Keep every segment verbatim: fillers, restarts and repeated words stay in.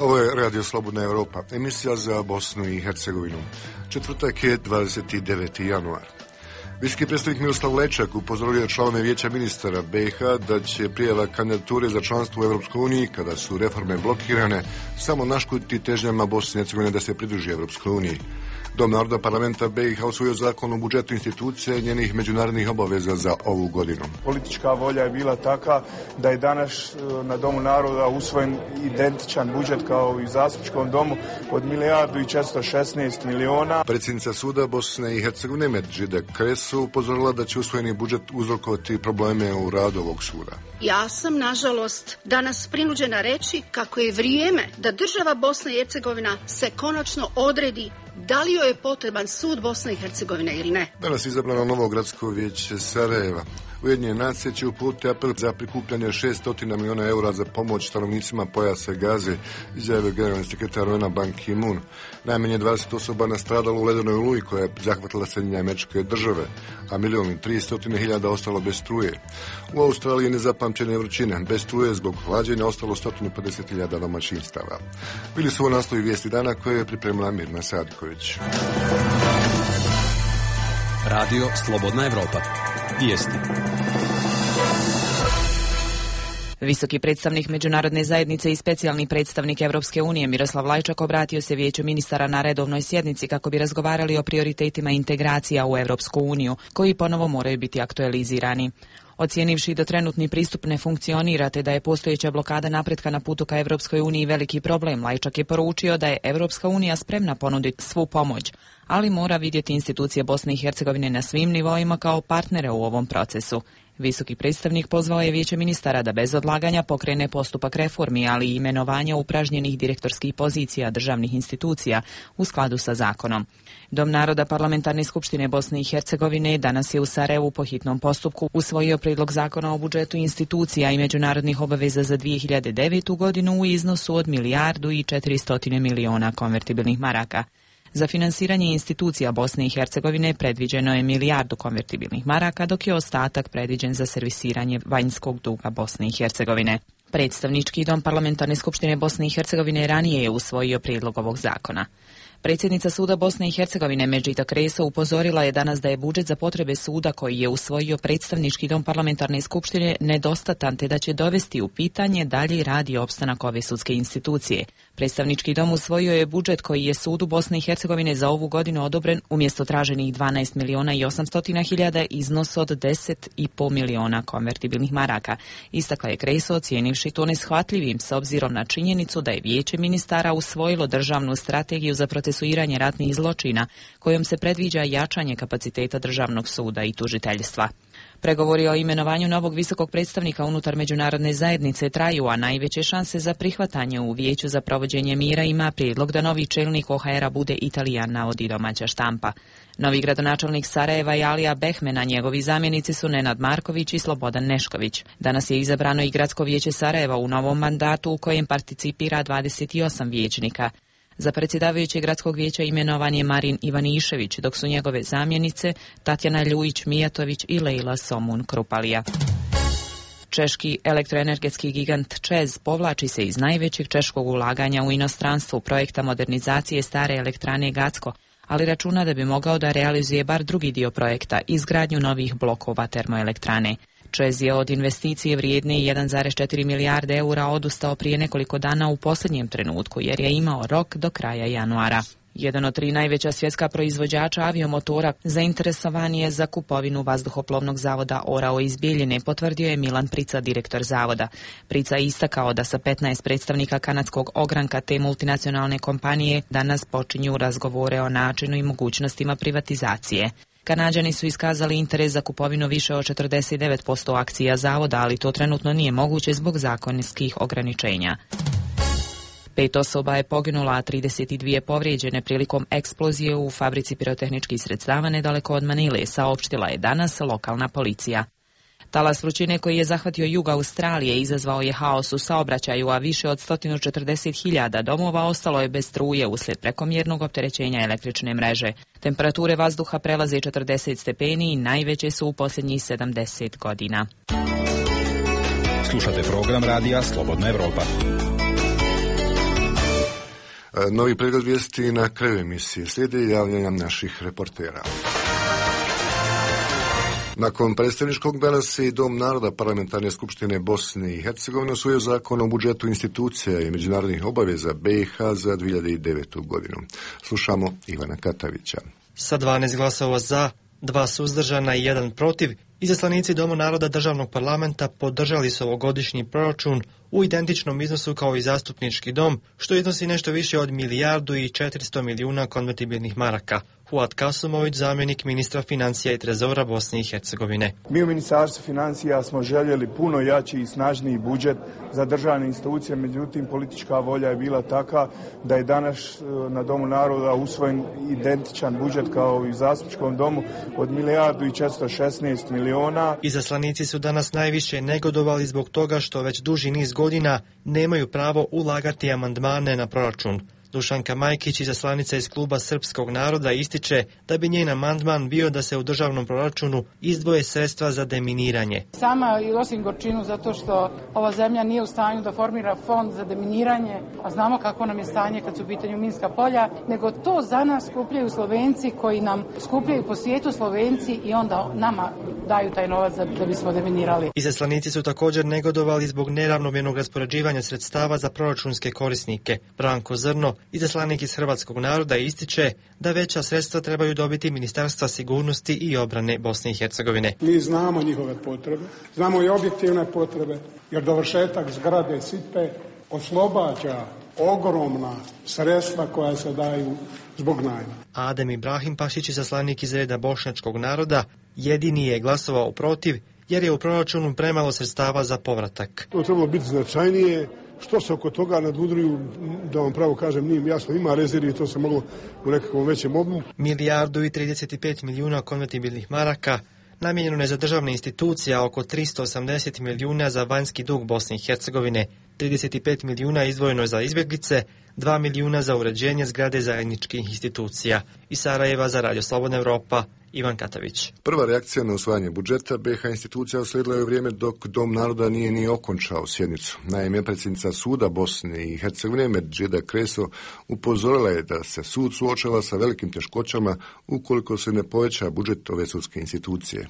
Ovo je Radio Slobodna Europa, emisija za Bosnu i Hercegovinu. Četvrtak je dvadeset deveti januar. Visoki predstavnik Miroslav Lečak upozorio članove Vijeća ministara B i H da će prijava kandidature za članstvo u Europskoj uniji, kada su reforme blokirane, samo naškoditi težnjama Bosne i Hercegovine da se pridruži Europskoj uniji. Dom naroda parlamenta B i H usvojio zakon o budžetu institucije i njenih međunarodnih obaveza za ovu godinu. Politička volja je bila taka da je danas na Domu naroda usvojen identičan budžet kao i u zastupničkom domu od milijardu i četiristo šesnaest miliona. Predsjednica suda Bosne i Hercegovine Medžide Kresu upozorila da će usvojeni budžet uzrokovati probleme u radu ovog suda. Ja sam, nažalost, danas prinuđena reći kako je vrijeme da država Bosna i Hercegovina se konačno odredi da li joj je potreban sud Bosne i Hercegovine ili ne. Danas je izabrano novo gradsko vijeće Sarajeva. Ujedinjene nacije će uputiti apel za prikupljanje šessto miliona eura za pomoć stanovnicima pojasa Gaze, izjavio generalni sekretar U N-a Ban Ki-moon. Najmanje dvadeset osoba nastradalo u ledenoj oluji koja je zahvatila Sjedinjene Američke Države, a milion i tristo hiljada ostalo bez struje. U Australiji nezapamćene vrućine, bez struje zbog hlađenja ostalo sto pedeset hiljada domaćinstava. Bili su ovo naslovi vijesti dana koje je pripremila Mirna Sadiković. Radio Slobodna Europa. Vijesti. Visoki predstavnik međunarodne zajednice i specijalni predstavnik Europske unije Miroslav Lajčak obratio se Vijeću ministara na redovnoj sjednici kako bi razgovarali o prioritetima integracija u Europsku uniju, koji ponovo moraju biti aktualizirani. Ocijenivši da trenutni pristup ne funkcionira te da je postojeća blokada napretka na putu ka Europskoj uniji veliki problem, Lajčak je poručio da je Europska unija spremna ponuditi svu pomoć, ali mora vidjeti institucije Bosne i Hercegovine na svim nivoima kao partnere u ovom procesu. Visoki predstavnik pozvao je Vijeće ministara da bez odlaganja pokrene postupak reformi, ali i imenovanja upražnjenih direktorskih pozicija državnih institucija u skladu sa zakonom. Dom naroda Parlamentarne skupštine Bosne i Hercegovine danas je u Sarajevu po hitnom postupku usvojio prijedlog zakona o budžetu institucija i međunarodnih obaveza za dvije hiljade devetu godinu u iznosu od milijardu i četiristo miliona konvertibilnih maraka. Za finansiranje institucija Bosne i Hercegovine predviđeno je milijardu konvertibilnih maraka, dok je ostatak predviđen za servisiranje vanjskog duga Bosne i Hercegovine. Predstavnički dom Parlamentarne skupštine Bosne i Hercegovine ranije je usvojio prijedlog ovog zakona. Predsjednica suda Bosne i Hercegovine Medžida Kreso upozorila je danas da je budžet za potrebe suda koji je usvojio predstavnički dom Parlamentarne skupštine nedostatan te da će dovesti u pitanje dalji rad i opstanak ove sudske institucije. Predstavnički dom usvojio je budžet koji je sudu Bosne i Hercegovine za ovu godinu odobren umjesto traženih dvanaest miliona i osamsto hiljada iznos od deset i pol miliona konvertibilnih maraka. Istakla je Kreso ocijenivši to neshvatljivim s obzirom na činjenicu da je Vijeće ministara usvojilo državnu strategiju za procesuiranje ratnih zločina kojom se predviđa jačanje kapaciteta državnog suda i tužiteljstva. Pregovori o imenovanju novog visokog predstavnika unutar međunarodne zajednice traju, a najveće šanse za prihvatanje u Vijeću za provođenje mira ima prijedlog da novi čelnik O H R-a bude Italijan, navodi domaća štampa. Novi gradonačelnik Sarajeva je Alija Behmena, a njegovi zamjenici su Nenad Marković i Slobodan Nešković. Danas je izabrano i Gradsko vijeće Sarajeva u novom mandatu u kojem participira dvadeset osam vijećnika. Za predsjedavajućeg gradskog vijeća imenovan je Marin Ivanišević, dok su njegove zamjenice Tatjana Ljujić-Mijatović i Lejla Somun-Krupalija. Češki elektroenergetski gigant ČEZ povlači se iz najvećeg češkog ulaganja u inostranstvu projekta modernizacije stare elektrane Gacko, ali računa da bi mogao da realizuje bar drugi dio projekta, izgradnju novih blokova termoelektrane. ČEZ je od investicije vrijedne jedan zarez četiri milijarde eura odustao prije nekoliko dana u posljednjem trenutku jer je imao rok do kraja januara. Jedan od tri najveća svjetska proizvođača aviomotora zainteresovan je za kupovinu vazduhoplovnog zavoda Orao iz Bijeljine, potvrdio je Milan Prica, direktor zavoda. Prica je istakao da sa petnaest predstavnika kanadskog ogranka te multinacionalne kompanije danas počinju razgovore o načinu i mogućnostima privatizacije. Kanađani su iskazali interes za kupovinu više od četrdeset devet posto akcija zavoda, ali to trenutno nije moguće zbog zakonskih ograničenja. Pet osoba je poginula, a trideset dvije povrijeđene prilikom eksplozije u fabrici pirotehničkih sredstava nedaleko od Manile, saopštila je danas lokalna policija. Talas vrućine koji je zahvatio jug Australije izazvao je haos u saobraćaju, a više od sto četrdeset hiljada domova ostalo je bez struje uslijed prekomjernog opterećenja električne mreže. Temperature vazduha prelaze četrdeset stepeni i najveće su u posljednjih sedamdeset godina. Slušate program radija Slobodna Europa. Novi pregled vijesti na kraju emisije. Slijede javljanja naših reportera. Nakon predstavničkog danas i Dom naroda Parlamentarne skupštine Bosne i Hercegovine usvojio zakon o budžetu institucija i međunarodnih obaveza B i H za dvije hiljade devetu godinu. Slušamo Ivana Katavića. Sa dvanaest glasova za, dva suzdržana i jedan protiv, izaslanici Doma naroda državnog parlamenta podržali su ovogodišnji proračun u identičnom iznosu kao i zastupnički dom, što iznosi nešto više od milijardu i četiristo milijuna konvertibilnih maraka. Fuad Kasumović, zamjenik ministra financija i trezora Bosne i Hercegovine. Mi u Ministarstvu financija smo željeli puno jači i snažniji budžet za državne institucije, međutim politička volja je bila taka da je danas na Domu naroda usvojen identičan budžet kao i u zastupničkom domu od milijardu i četiristo šesnaest miliona. Izaslanici su danas najviše negodovali zbog toga što već duži niz godina nemaju pravo ulagati amandmane na proračun. Dušanka Majkić, izaslanica iz kluba Srpskog naroda, ističe da bi njen amandman bio da se u državnom proračunu izdvoje sredstva za deminiranje. Sama i osim gorčinu zato što ova zemlja nije u stanju da formira fond za deminiranje, a znamo kako nam je stanje kad su u pitanju minska polja, nego to za nas skupljaju Slovenci koji nam skupljaju po svijetu Slovenci i onda nama daju taj novac da, da bismo deminirali. Izaslanici su također negodovali zbog neravnomjernog raspoređivanja sredstava za proračunske korisnike. Branko Zrno, izaslanik iz Hrvatskog naroda, ističe da veća sredstva trebaju dobiti Ministarstva sigurnosti i obrane Bosne i Hercegovine. Mi znamo njihove potrebe, znamo i objektivne potrebe, jer dovršetak zgrade Sipe oslobađa ogromna sredstva koja se daju zbog najma. Adem Ibrahim Pašić, izaslanik iz reda Bošnjačkog naroda, jedini je glasovao protiv jer je u proračunu premalo sredstava za povratak. To trebalo biti značajnije. Što se oko toga nadudruju, da vam pravo kažem, nije jasno, ima rezervi i to se moglo u nekakvom većem obimu. Milijardu i trideset pet milijuna konvertibilnih maraka namijenjeno je za državne institucije, a oko tristo osamdeset milijuna za vanjski dug Bosne i Hercegovine, trideset pet milijuna izdvojeno za izbjeglice, dva milijuna za uređenje zgrade zajedničkih institucija. Iz Sarajeva za Radio Slobodna Evropa, Ivan Katavić. Prva reakcija na usvajanje budžeta B i H institucija uslijedila je u vrijeme dok Dom naroda nije ni okončao sjednicu. Naime, predsjednica suda Bosne i Hercegovine Medžida Kreso upozorila je da se sud suočava sa velikim teškoćama ukoliko se ne poveća budžet ove sudske institucije.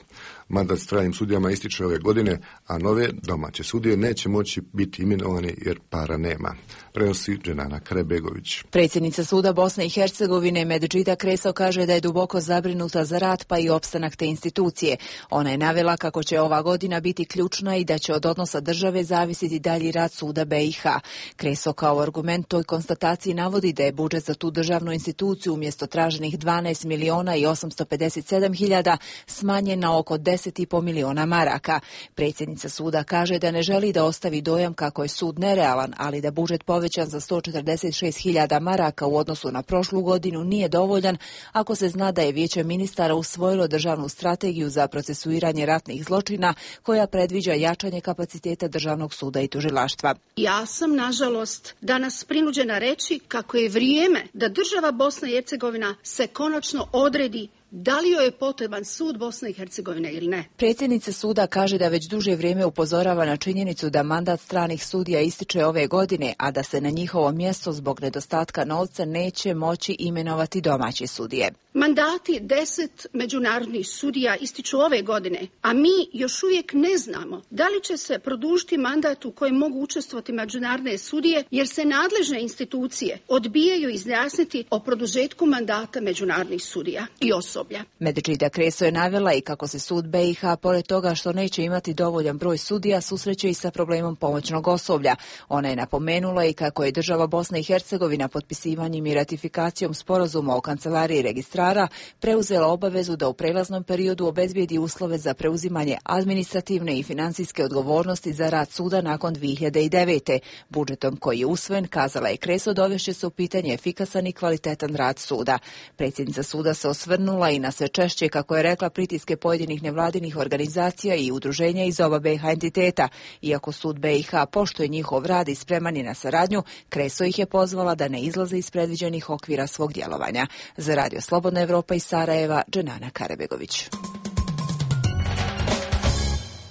Mandat stranim sudijama ističe ove godine, a nove domaće sudije neće moći biti imenovani jer para nema. Prenosi Dženana Krebegović. Predsjednica suda Bosne i Hercegovine Medžida Kreso kaže da je duboko zabrinuta za rad pa i opstanak te institucije. Ona je navela kako će ova godina biti ključna i da će od odnosa države zavisiti dalji rad suda B i H. Kreso kao argument toj konstataciji navodi da je budžet za tu državnu instituciju umjesto traženih dvanaest miliona i osamsto pedeset sedam hiljada smanjen na oko deset i pol miliona maraka. Predsjednica suda kaže da ne želi da ostavi dojam kako je sud nerealan, ali da budžet povećan za sto četrdeset šest hiljada maraka u odnosu na prošlu godinu nije dovoljan ako se zna da je Vijeće ministara usvojilo državnu strategiju za procesuiranje ratnih zločina koja predviđa jačanje kapaciteta državnog suda i tužilaštva. Ja sam, nažalost, danas prinuđena reći kako je vrijeme da država Bosna i Hercegovina se konačno odredi da li joj je potreban sud Bosne i Hercegovine ili ne. Predsjednica suda kaže da već duže vrijeme upozorava na činjenicu da mandat stranih sudija ističe ove godine, a da se na njihovo mjesto zbog nedostatka novca neće moći imenovati domaće sudije. Mandati deset međunarodnih sudija ističu ove godine, a mi još uvijek ne znamo da li će se produžiti mandat u kojem mogu učestvovati međunarodne sudije, jer se nadležne institucije odbijaju izjasniti o produžetku mandata međunarodnih sudija i osoblja. Medžida Kreso je navela i kako se sud B i H, pored toga što neće imati dovoljan broj sudija, susreće i sa problemom pomoćnog osoblja. Ona je napomenula i kako je država Bosna i Hercegovina potpisivanjem i ratifikacijom sporazuma o kancelariji registrara preuzela obavezu da u prelaznom periodu obezbijedi uslove za preuzimanje administrativne i financijske odgovornosti za rad suda nakon dvije hiljade devete. Budžetom koji je usvojen, kazala je Kreso, dovešće se u pitanje efikasan i kvalitetan rad suda. Predsjednica suda se osvrnula i na sve češće, kako je rekla, pritiske pojedinih nevladinih organizacija i udruženja iz oba B i H entiteta. Iako sud B i H poštuje njihov rad i spreman je na saradnju, Kreso ih je pozvala da ne izlaze iz predviđenih okvira svog djelovanja. Za Radio Slobodna Evropa iz Sarajeva, Dženana Karebegović.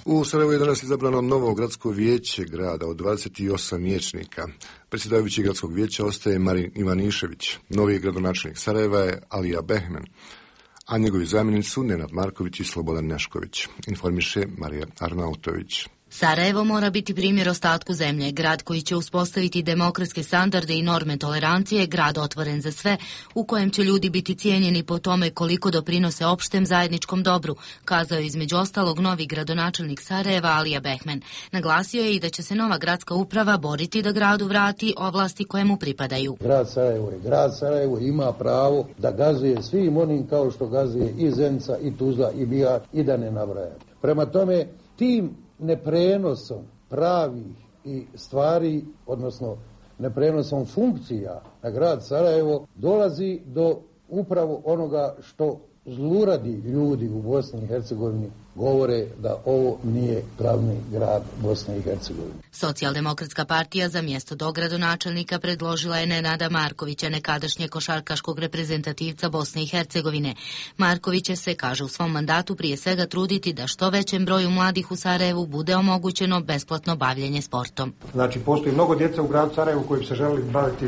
U Sarajevu je danas izabrano novo gradsko vijeće grada od dvadeset osam vijećnika. Predsjedavajući gradskog vijeća ostaje Marin Ivanišević. Novi gradonačelnik Sarajeva je Alija Behmen, a njegovi zamjenici su Nenad Marković i Slobodan Nešković, informiše Marija Arnautović. Sarajevo mora biti primjer ostatku zemlje, grad koji će uspostaviti demokratske standarde i norme tolerancije, grad otvoren za sve, u kojem će ljudi biti cijenjeni po tome koliko doprinose opštem zajedničkom dobru, kazao je između ostalog novi gradonačelnik Sarajeva Alija Behmen. Naglasio je i da će se nova gradska uprava boriti da gradu vrati ovlasti koje mu pripadaju. Grad Sarajevo je grad Sarajevo, ima pravo da gazuje svim onim kao što gazuje i Zenica, i Tuzla, i Bihar, i da ne nabrajam. Prema tome, tim neprenosom pravih i stvari, odnosno neprenosom funkcija na grad Sarajevo, dolazi do upravo onoga što zluradi ljudi u Bosni i Hercegovini govore da ovo nije glavni grad Bosne i Hercegovine. Socijaldemokratska partija za mjesto dogradonačelnika predložila je Nenada Markovića, nekadašnje košarkaškog reprezentativca Bosne i Hercegovine. Marković će se, kaže, u svom mandatu prije svega truditi da što većem broju mladih u Sarajevu bude omogućeno besplatno bavljenje sportom. Znači, postoji mnogo djeca u gradu Sarajevu koji bi se želeli baviti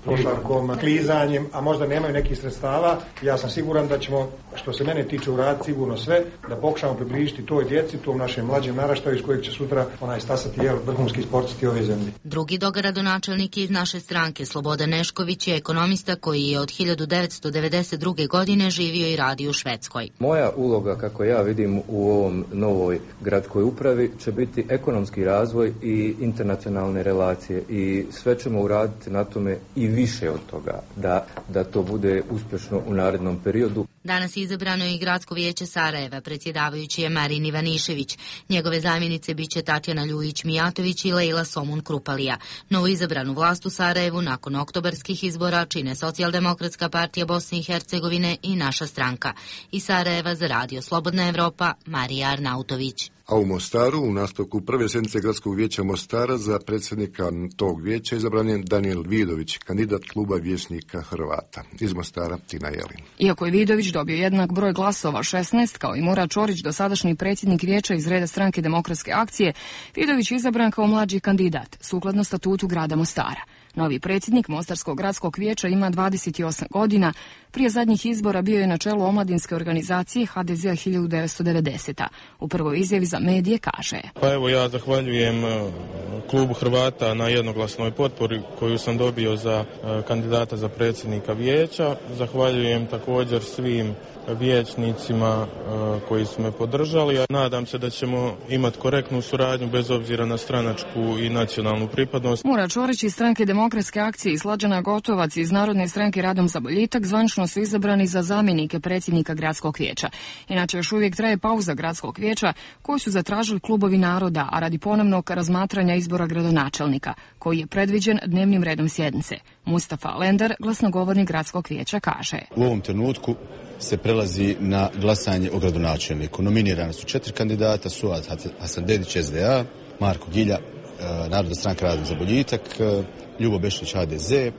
košarkom, klizanjem, a možda nemaju nekih sredstava. Ja sam siguran da ćemo, što se mene tiče, uraditi sigurno sve, da pokušamo približiti toj djeci, tom našem mlađem naraštaju iz kojeg će sutra onaj stasati jel, vrhunski sportisti ove zemlje. Drugi dogradonačelnik iz naše stranke, Slobodan Nešković, je ekonomista koji je od hiljadu devetsto devedeset druge. godine živio i radio u Švedskoj. Moja uloga, kako ja vidim u ovom novoj gradskoj upravi, će biti ekonomski razvoj i internacionalne relacije i sve ćemo uraditi na tome i više od toga, da, da to bude uspješno u narednom periodu. Danas je izabrano i gradsko vijeće Sarajeva, predsjedavajući je Marin Ivanišević. Njegove zamjenice biće Tatjana Ljujić-Mijatović i Lejla Somun Krupalija. Novo izabranu vlast u Sarajevu nakon oktobarskih izbora čine Socijaldemokratska partija Bosne i Hercegovine i naša stranka. Iz Sarajeva za Radio Slobodna Evropa, Marija Arnautović. A u Mostaru, u nastavku prve sjednice gradskog vijeća Mostara, za predsjednika tog vijeća izabran je Danijel Vidović, kandidat kluba vijećnika Hrvata. Iz Mostara, Tina Jelin. Iako je Vidović dobio jednak broj glasova, šesnaest, kao i Murat Čorić, dosadašnji predsjednik vijeća iz reda stranke Demokratske akcije, Vidović je izabran kao mlađi kandidat, sukladno statutu grada Mostara. Novi predsjednik Mostarskog gradskog vijeća ima dvadeset osam godina, prije zadnjih izbora bio je na čelu omladinske organizacije ha de zea hiljadu devetsto devedesete. U prvoj izjavi za medije kaže: Pa evo, ja zahvaljujem klubu Hrvata na jednoglasnoj potpori koju sam dobio za kandidata za predsjednika vijeća. Zahvaljujem također svim vijećnicima koji su me podržali. Nadam se da ćemo imati korektnu suradnju bez obzira na stranačku i nacionalnu pripadnost. Murat Čorić iz stranke Demokratske akcije i Slađana Gotovac iz Narodne stranke Radom za boljitak zvanično su izabrani za zamjenike predsjednika gradskog vijeća. Inače, još uvijek traje pauza gradskog vijeća koju su zatražili klubovi naroda, a radi ponovnog razmatranja izbora gradonačelnika, koji je predviđen dnevnim redom sjednice. Mustafa Lendar, glasnogovornik gradskog vijeća, kaže: U ovom trenutku se prelazi na glasanje o gradonačelniku. Nominirane su četiri kandidata, Suad Hasandedić es de a, Marko Gilja, Narodna stranka Radom za boljitak, Ljubo Bešlić ha de ze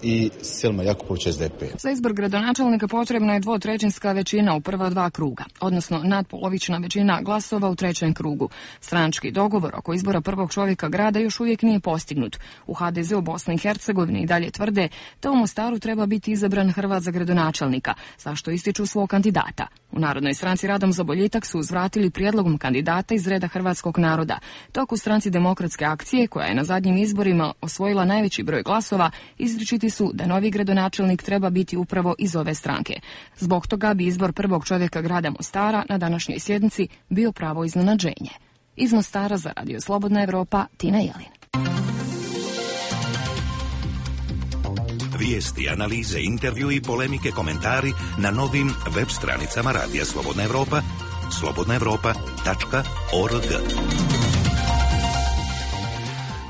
i Selma Jakupović es de pe. Za izbor gradonačelnika potrebna je dvotrećinska većina u prva dva kruga, odnosno nadpolovična većina glasova u trećem krugu. Stranački dogovor oko izbora prvog čovjeka grada još uvijek nije postignut. U ha de ze u Bosni i Hercegovini i dalje tvrde da u Mostaru treba biti izabran Hrvat za gradonačelnika, zašto ističu svog kandidata. U Narodnoj stranci Radom za boljitak su uzvratili prijedlogom kandidata iz reda hrvatskog naroda, dok u stranci Demokratske akcije, koja je na zadnjim izborima osvojila najveći broj glasova, izričiti su da novi gradonačelnik treba biti upravo iz ove stranke. Zbog toga bi izbor prvog čovjeka grada Mostara na današnjoj sjednici bio pravo iznenađenje. Iz Mostara za Radio Slobodna Evropa, Tina Jelin. Vijesti, analize, intervju i polemike, komentari na novim web stranicama Radija Slobodna Evropa, slobodna evropa tačka org.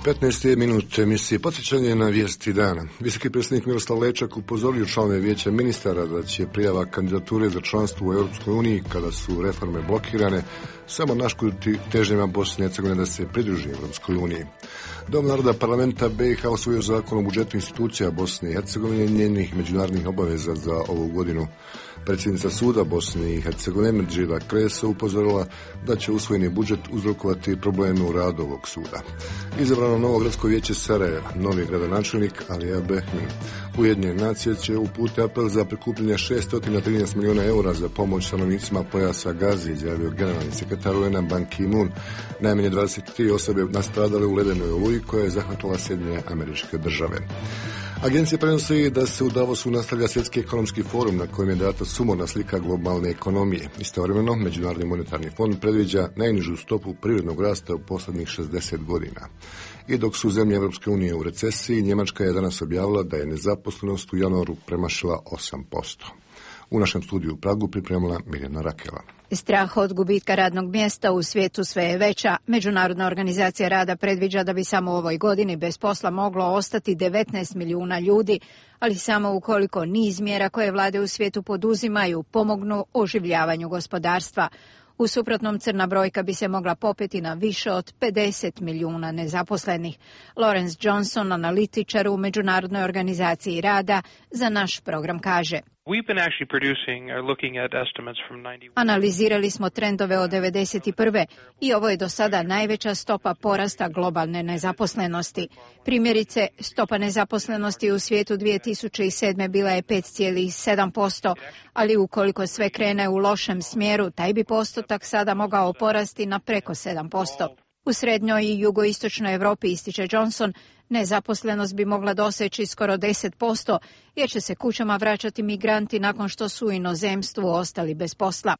petnaesti minut emisije. Podsjećanje na vijesti dana. Visoki predsjednik Miroslav Lečak upozorio članove vijeća ministara da će prijava kandidature za članstvo u Europskoj uniji, kada su reforme blokirane, samo naškoditi težnjama Bosne i Hercegovine da se pridruži Europskoj uniji. Dom naroda parlamenta be i ha usvojio zakon o budžetu institucija Bosne i Hercegovine i njenih međunarodnih obaveza za ovu godinu. Predsjednica suda Bosne i Hercegovine Medžida Kreso upozorila da će usvojeni budžet uzrokovati probleme u radu ovog suda. Izabrano izabrano novo gradsko vijeće Sarajeva, novi gradonačelnik Alija Behmin. Ujedinjene nacije će uputiti apel za prikupljanje šesto trinaest milijuna eura za pomoć stanovnicima pojasa Gaze, izjavio generalni sekretar U N-a Ban Ki-moon. Najmanje dvadeset tri osobe nastradale u ledenoj oluji koja je zahvatila Sjedinjene Američke Države. Agencija prenosi da se u Davosu nastavlja svjetski ekonomski forum na kojem je data sumorna slika globalne ekonomije. Istovremeno, Međunarodni monetarni fond predviđa najnižu stopu privrednog rasta u posljednjih šezdeset godina. I dok su zemlje Europske unije u recesiji, Njemačka je danas objavila da je nezaposlenost u januaru premašila osam posto. U našem studiju u Pragu pripremila Mirjana Rakela. Strah od gubitka radnog mjesta u svijetu sve je veća. Međunarodna organizacija rada predviđa da bi samo u ovoj godini bez posla moglo ostati devetnaest milijuna ljudi, ali samo ukoliko niz mjera koje vlade u svijetu poduzimaju pomognu oživljavanju gospodarstva. U suprotnom, crna brojka bi se mogla popeti na više od pedeset milijuna nezaposlenih. Lawrence Johnson, analitičar u Međunarodnoj organizaciji rada, za naš program kaže: Analizirali smo trendove od devedeset prve i ovo je do sada najveća stopa porasta globalne nezaposlenosti. Primjerice, stopa nezaposlenosti u svijetu dvije tisuće sedme bila je pet zarez sedam posto, ali ukoliko sve krene u lošem smjeru, taj bi postotak sada mogao porasti na preko sedam posto. U srednjoj i jugoistočnoj Europi, ističe Johnson, nezaposlenost bi mogla doseći skoro deset posto, jer će se kućama vraćati migranti nakon što su u inozemstvu ostali bez posla.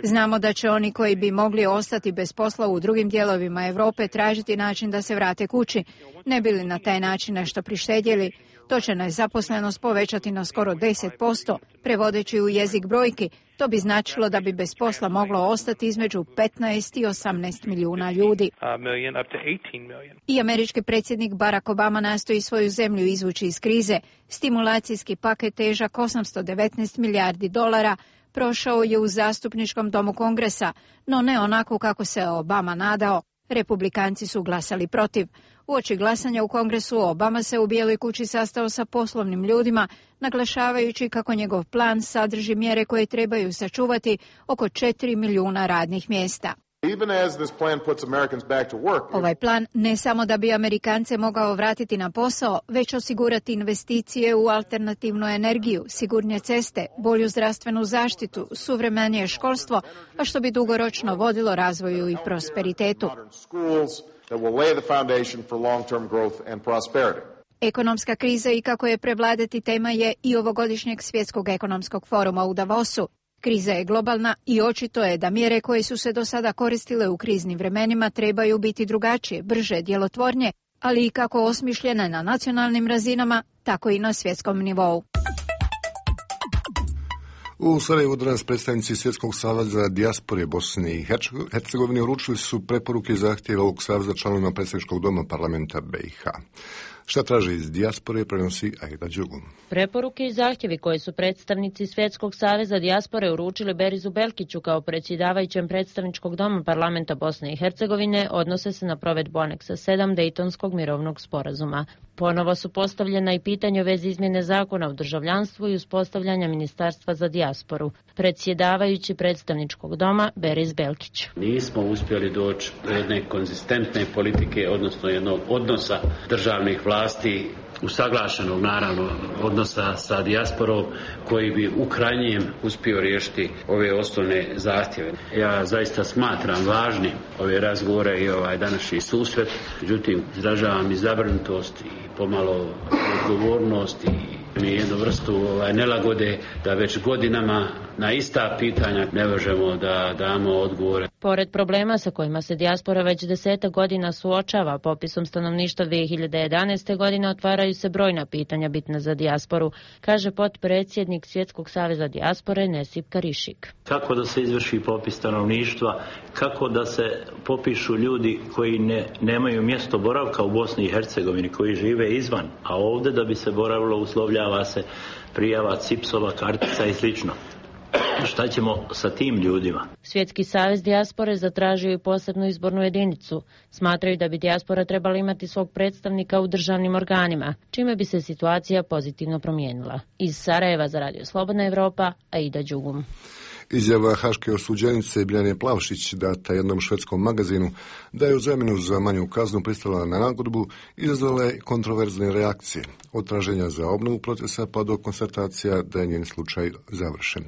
Znamo da će oni koji bi mogli ostati bez posla u drugim dijelovima Europe tražiti način da se vrate kući, ne bi li na taj način nešto prištedjeli. To će nezaposlenost povećati na skoro deset posto, prevodeći u jezik brojki. To bi značilo da bi bez posla moglo ostati između petnaest i osamnaest milijuna ljudi. I američki predsjednik Barack Obama nastoji svoju zemlju izvući iz krize. Stimulacijski paket težak osamsto devetnaest milijardi dolara prošao je u zastupničkom domu Kongresa, no ne onako kako se Obama nadao. Republikanci su glasali protiv. Uoči glasanja u Kongresu Obama se u Bijeloj kući sastao sa poslovnim ljudima, naglašavajući kako njegov plan sadrži mjere koje trebaju sačuvati oko četiri milijuna radnih mjesta. Ovaj plan ne samo da bi Amerikance mogao vratiti na posao, već osigurati investicije u alternativnu energiju, sigurnije ceste, bolju zdravstvenu zaštitu, suvremenije školstvo, a što bi dugoročno vodilo razvoju i prosperitetu. Ekonomska kriza i kako je prevladati tema je i ovogodišnjeg svjetskog ekonomskog foruma u Davosu. Kriza je globalna i očito je da mjere koje su se do sada koristile u kriznim vremenima trebaju biti drugačije, brže, djelotvornije, ali i kako osmišljene na nacionalnim razinama, tako i na svjetskom nivou. U Sarajevu danas predstavnici Svjetskog saveza dijaspore Bosne i Hercegovine uručili su preporuke i zahtjeve ovog saveza članovima predstavničkog doma parlamenta B i H. Šta traže iz dijaspore, prenosi Aida Đugum. Preporuke i zahtjevi koje su predstavnici Svjetskog saveza dijaspore uručili Berizu Belkiću kao predsjedavajućem predstavničkog doma parlamenta Bosne i Hercegovine odnose se na provedbu aneksa sedam Dejtonskog mirovnog sporazuma. Ponovo su postavljena i pitanja u vezi izmjene zakona o državljanstvu i uspostavljanja ministarstva za dijasporu. Predsjedavajući predstavničkog doma Beriz Belkić. Nismo uspjeli doći do jedne konzistentne politike, odnosno jednog odnosa državnih vlasti, usaglašenog naravno odnosa sa dijasporom koji bi u krajnjem uspio riješiti ove osnovne zahtjeve. Ja zaista smatram važnim ove razgovore i ovaj današnji susret, međutim izražavam i zabrinutost i pomalo odgovornost i mi jednu vrstu ovaj, nelagode da već godinama na ista pitanja ne možemo da damo odgovore. Pored problema sa kojima se dijaspora već desetak godina suočava, popisom stanovništva dvije hiljade jedanaeste. godine otvaraju se brojna pitanja bitna za dijasporu, kaže potpredsjednik Svjetskog saveza dijaspore Nesip Karišik. Kako da se izvrši popis stanovništva, kako da se popišu ljudi koji ne, nemaju mjesto boravka u Bosni i Hercegovini, koji žive izvan, a ovdje da bi se boravilo uslovljava se prijava cipsova, kartica i slično. Šta ćemo sa tim ljudima? Svjetski savez dijaspore zatražio i posebnu izbornu jedinicu. Smatraju da bi dijaspora trebala imati svog predstavnika u državnim organima, čime bi se situacija pozitivno promijenila. Iz Sarajeva za Radio Slobodna Evropa, Aida Đugum. Izjava haške osuđenice Biljane Plavšić data jednom švedskom magazinu da je u zamjenu za manju kaznu pristala na nagodbu izazvala je kontroverzne reakcije, od traženja za obnovu procesa pa do konstatacija da je njen slučaj završen.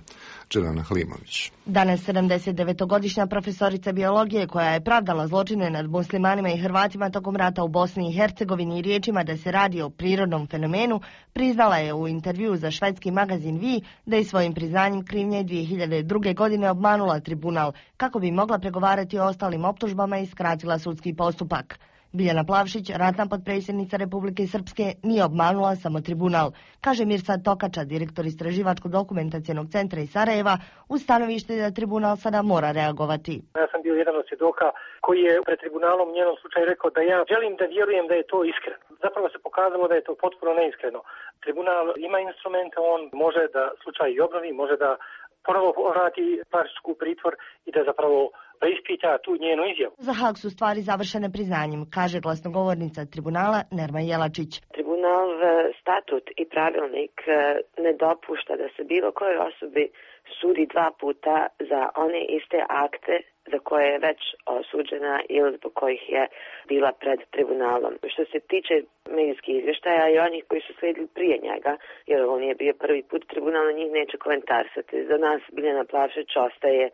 Đelana Halimović. Danas sedamdesetdevetogodišnja profesorica biologije koja je pravdala zločine nad muslimanima i Hrvatima tokom rata u Bosni i Hercegovini i riječima da se radi o prirodnom fenomenu, priznala je u intervjuu za švedski magazin Vi da je svojim priznanjem krivnje dvije hiljade druge. godine obmanula tribunal kako bi mogla pregovarati o ostalim optužbama i skratila sudski postupak. Biljana Plavšić, ratna potpredsjednica Republike Srpske, nije obmanula samo tribunal, kaže Mirsad Tokača, direktor istraživačko-dokumentacionog centra iz Sarajeva, uz stanovište da tribunal sada mora reagovati. Ja sam bio jedan od svjedoka koji je pred tribunalom u njenom slučaju rekao da ja želim da vjerujem da je to iskreno. Zapravo se pokazalo da je to potpuno neiskreno. Tribunal ima instrumente, on može da slučaj i obnovi, može da ponovo vrati Plavšićku u pritvor i da zapravo preispita tu njenu izjavu. Za Haag su stvari završene priznanjem, kaže glasnogovornica tribunala Nerma Jelačić. Tribunal statut i pravilnik ne dopušta da se bilo kojoj osobi sudi dva puta za one iste akte za koje je već osuđena ili zbog kojih je bila pred tribunalom. Što se tiče medijskih izvještaja i onih koji su slijedili prije njega, jer on je bio prvi put, tribunal na njih neće komentarsati. Za nas Biljana Plavšić ostaje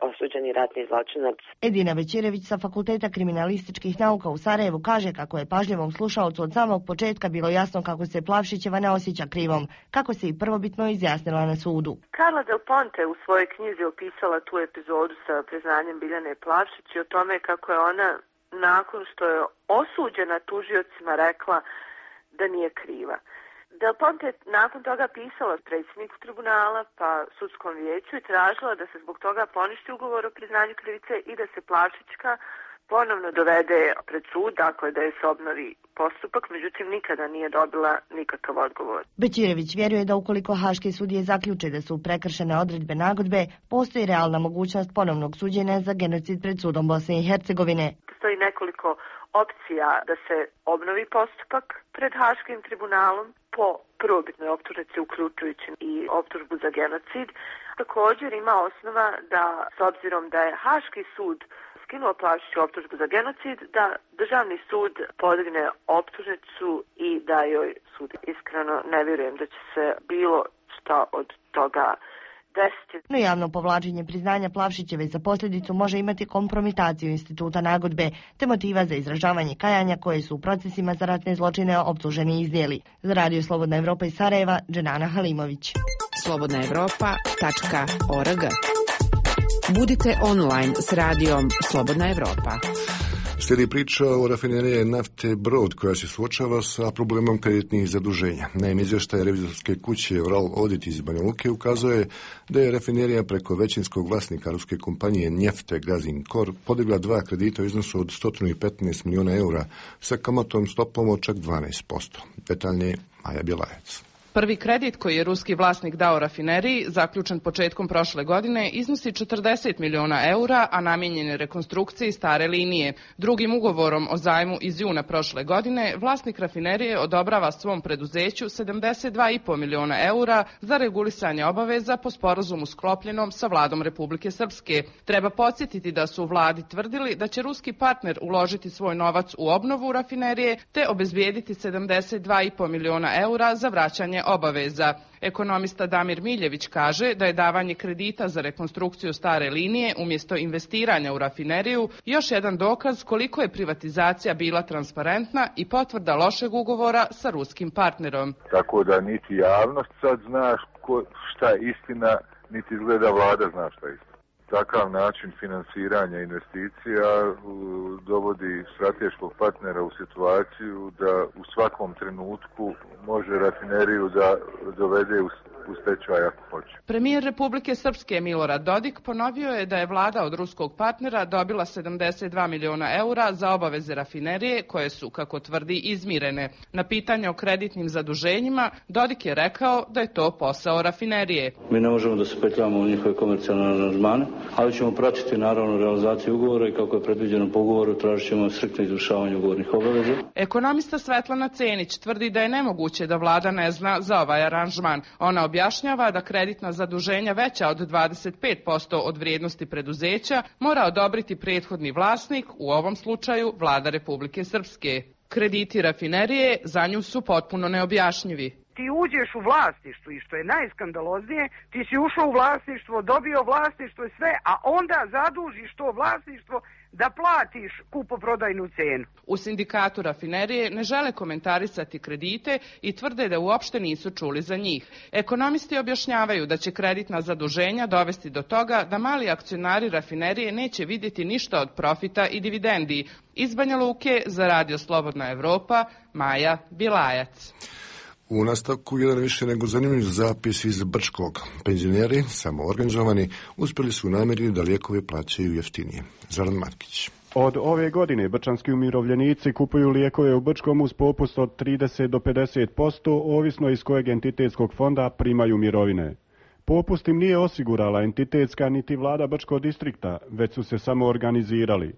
osuđeni ratni zločinac. Edina Većirević sa Fakulteta kriminalističkih nauka u Sarajevu kaže kako je pažljivom slušaocu od samog početka bilo jasno kako se Plavšićeva ne osjeća krivom, kako se i prvobitno izjasnila na sudu. Carla Del Ponte u svojoj knjizi opisala tu epizodu sa priznanjem Biljane Plavšić i o tome kako je ona nakon što je osuđena tužiocima rekla da nije kriva. Del Ponte je nakon toga pisala predsjedniku tribunala pa sudskom vijeću i tražila da se zbog toga poništi ugovor o priznanju krivice i da se Plavšićka ponovno dovede pred sud, dakle da je se obnovi postupak, međutim nikada nije dobila nikakav odgovor. Bećirević vjeruje da ukoliko haške sudije zaključe da su prekršene odredbe nagodbe, postoji realna mogućnost ponovnog suđenja za genocid pred sudom Bosne i Hercegovine. Postoji nekoliko opcija da se obnovi postupak pred Haškim tribunalom po prvobitnoj optužnici uključujući i optužbu za genocid. Također ima osnova da, s obzirom da je Haški sud skinuo Plavšiću optužbu za genocid, da državni sud podigne optužnicu i da joj sud. Iskreno ne vjerujem da će se bilo šta od toga desiti. No javno povlačenje priznanja Plavšićeve za posljedicu može imati kompromitaciju instituta nagodbe te motiva za izražavanje kajanja koje su u procesima za ratne zločine optuženi iznijeli. Za Radio Slobodna Evropa iz Sarajeva, Đenana Halimović. slobodna evropa tačka org. Budite online s radijom Slobodna Evropa. Slijedi priča o rafineriji nafte Brod koja se suočava sa problemom kreditnih zaduženja. Naime, izvještaj revizorske kuće Vral Audit iz Banja Luke ukazuje da je rafinerija preko većinskog vlasnika ruske kompanije Njefte Gazinkor podigla dva kredita u iznosu od sto petnaest miliona eura sa kamatom stopom od čak dvanaest posto. Detaljnije Maja Bjelajac. Prvi kredit koji je ruski vlasnik dao rafineriji, zaključen početkom prošle godine, iznosi četrdeset miliona eura, a namijenjen je rekonstrukciji stare linije. Drugim ugovorom o zajmu iz juna prošle godine, vlasnik rafinerije odobrava svom preduzeću sedamdeset dva i po miliona eura za regulisanje obaveza po sporazumu sklopljenom sa vladom Republike Srpske. Treba podsjetiti da su u vladi tvrdili da će ruski partner uložiti svoj novac u obnovu rafinerije te obezbijediti sedamdeset dva i po miliona eura za vraćanje obaveza. Ekonomista Damir Miljević kaže da je davanje kredita za rekonstrukciju stare linije umjesto investiranja u rafineriju još jedan dokaz koliko je privatizacija bila transparentna i potvrda lošeg ugovora sa ruskim partnerom. Tako da niti javnost sad zna šta je istina, niti izgleda vlada zna šta je istina. Takav način finansiranja investicija dovodi strateškog partnera u situaciju da u svakom trenutku može rafineriju da dovede u u stečaj ako hoće. Premijer Republike Srpske Milorad Dodik ponovio je da je vlada od ruskog partnera dobila sedamdeset dva miliona eura za obaveze rafinerije koje su, kako tvrdi, izmirene. Na pitanje o kreditnim zaduženjima Dodik je rekao da je to posao rafinerije. Mi ne možemo da se petljamo u njihove komercijalne aranžmane, ali ćemo pratiti naravno realizaciju ugovora i kako je predviđeno po ugovoru tražit ćemo striktno izvršavanje ugovornih obaveza. Ekonomista Svetlana Cenić tvrdi da je nemoguće da vlada ne zna za ovaj aranžman. Ona objašnjava da kreditna zaduženja veća od dvadeset pet posto od vrijednosti preduzeća mora odobriti prethodni vlasnik, u ovom slučaju vlada Republike Srpske. Krediti rafinerije za nju su potpuno neobjašnjivi. Ti uđeš u vlasništvo i što je najskandaloznije, ti si ušao u vlasništvo, dobio vlasništvo i sve, a onda zadužiš to vlasništvo da platiš kupoprodajnu cenu. U sindikatu rafinerije ne žele komentarisati kredite i tvrde da uopšte nisu čuli za njih. Ekonomisti objašnjavaju da će kreditna zaduženja dovesti do toga da mali akcionari rafinerije neće vidjeti ništa od profita i dividendi. Iz Banja Luke za Radio Slobodna Evropa, Maja Bilajac. U nastavku jedan više nego zanimljiv zapis iz Brčkog. Penzioneri, samoorganizovani, uspjeli su u namjeri da lijekove plaćaju jeftinije. Zoran Markić. Od ove godine brčanski umirovljenici kupuju lijekove u Brčkom uz popust od trideset do pedeset posto, ovisno iz kojeg entitetskog fonda primaju mirovine. Popust im nije osigurala entitetska niti vlada Brčkog distrikta, već su se samo organizirali.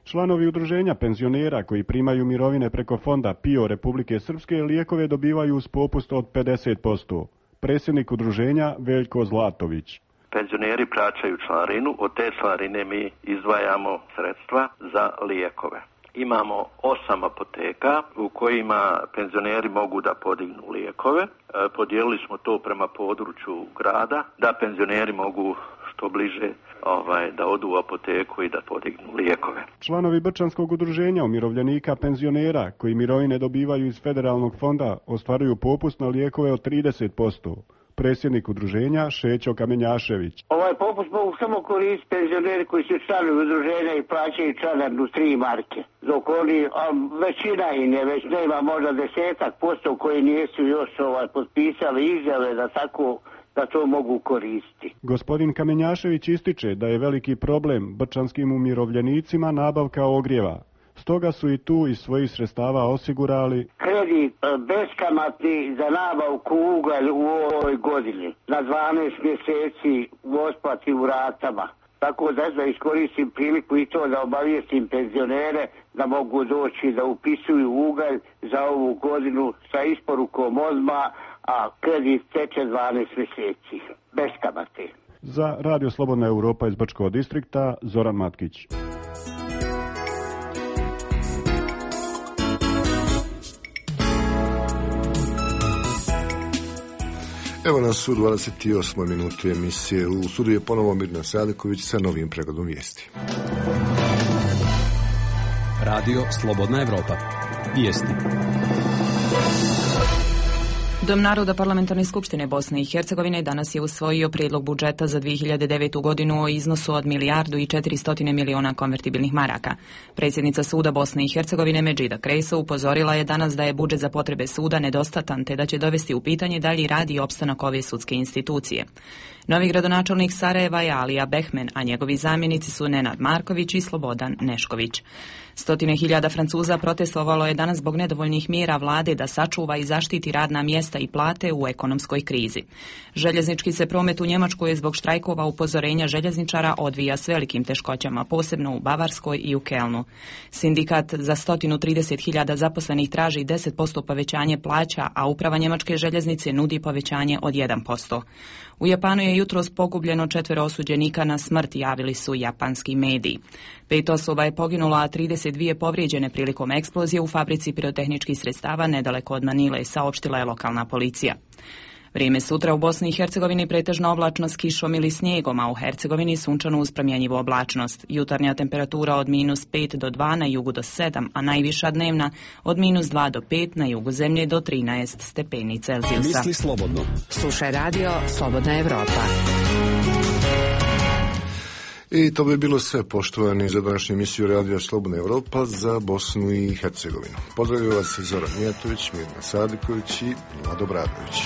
Članovi udruženja penzionera koji primaju mirovine preko fonda P I O Republike Srpske lijekove dobivaju uz popust od pedeset posto. Predsjednik udruženja Veljko Zlatović. Penzioneri plaćaju članarinu, od te članarine mi izdvajamo sredstva za lijekove. Imamo osam apoteka u kojima penzioneri mogu da podignu lijekove. Podijelili smo to prema području grada, da penzioneri mogu što bliže ovaj, da odu u apoteku i da podignu lijekove. Članovi Brčanskog udruženja umirovljenika penzionera koji mirovine dobivaju iz federalnog fonda ostvaruju popust na lijekove od trideset posto. Predsjednik udruženja Šećo Kamenjašević. Ovaj popust mogu samo koristiti penzioneri koji su članovi udruženja i plaćaju članarinu tri marke. Dok oni, a većina i ne, već nema možda desetak posto koji nisu još ovaj, potpisali izjave da tako da to mogu koristiti. Gospodin Kamenjašević ističe da je veliki problem brčanskim umirovljenicima nabavka ogrijeva. Stoga su i tu iz svojih sredstava osigurali kredit beskamatni za nabavku ugalj u ovoj godini na dvanaest mjeseci u otplati u ratama. Tako da da iskoristim priliku i to da obavijestim penzionere da mogu doći da upisuju ugalj za ovu godinu sa isporukom odmah, a kredit teče dvanaest mjeseci bez kamate. Za Radio Slobodna Evropa iz Brčkog distrikta, Zoran Matkić. Evo nas u dvadeset osmoj minuti emisije. U studiju je ponovo Mirna Sadiković sa novim pregledom vijesti. Radio Slobodna Evropa. Vijesti. Dom naroda Parlamentarne skupštine Bosne i Hercegovine danas je usvojio prijedlog budžeta za dvije hiljade devetu. godinu o iznosu od milijardu i četiristo miliona konvertibilnih maraka. Predsjednica suda Bosne i Hercegovine Medžida Krejso upozorila je danas da je budžet za potrebe suda nedostatan te da će dovesti u pitanje dalji rad i opstanak ove sudske institucije. Novi gradonačelnik Sarajeva je Alija Behmen, a njegovi zamjenici su Nenad Marković i Slobodan Nešković. Stotine hiljada Francuza protestovalo je danas zbog nedovoljnih mjera vlade da sačuva i zaštiti radna mjesta i plate u ekonomskoj krizi. Željeznički se promet u Njemačkoj je zbog štrajkova upozorenja željezničara odvija s velikim teškoćama, posebno u Bavarskoj i u Kelnu. Sindikat za sto trideset hiljada zaposlenih traži deset posto povećanje plaća, a uprava njemačke željeznice nudi povećanje od jedan posto. U Japanu je jutros pogubljeno četvero osuđenika na smrt, javili su japanski mediji. Pet osoba je poginulo, a trideset dvije povrijeđene prilikom eksplozije u fabrici pirotehničkih sredstava nedaleko od Manile, saopštila je lokalna policija. Vrijeme sutra u Bosni i Hercegovini pretežno oblačno s kišom ili snijegom, a u Hercegovini sunčano uz promjenjivu oblačnost. Jutarnja temperatura od minus pet do dva, na jugu do sedam, a najviša dnevna od minus dva do pet, na jugu zemlje do trinaest stepeni Celzijusa. Misli slobodno. Slušaj Radio Slobodna Evropa. I to bi bilo sve, poštovani, za današnju emisiju Radija Slobodna Evropa za Bosnu i Hercegovinu. Pozdravljaju vas Zoran Mijatović, Mirna Sadiković i Vlado Bradović.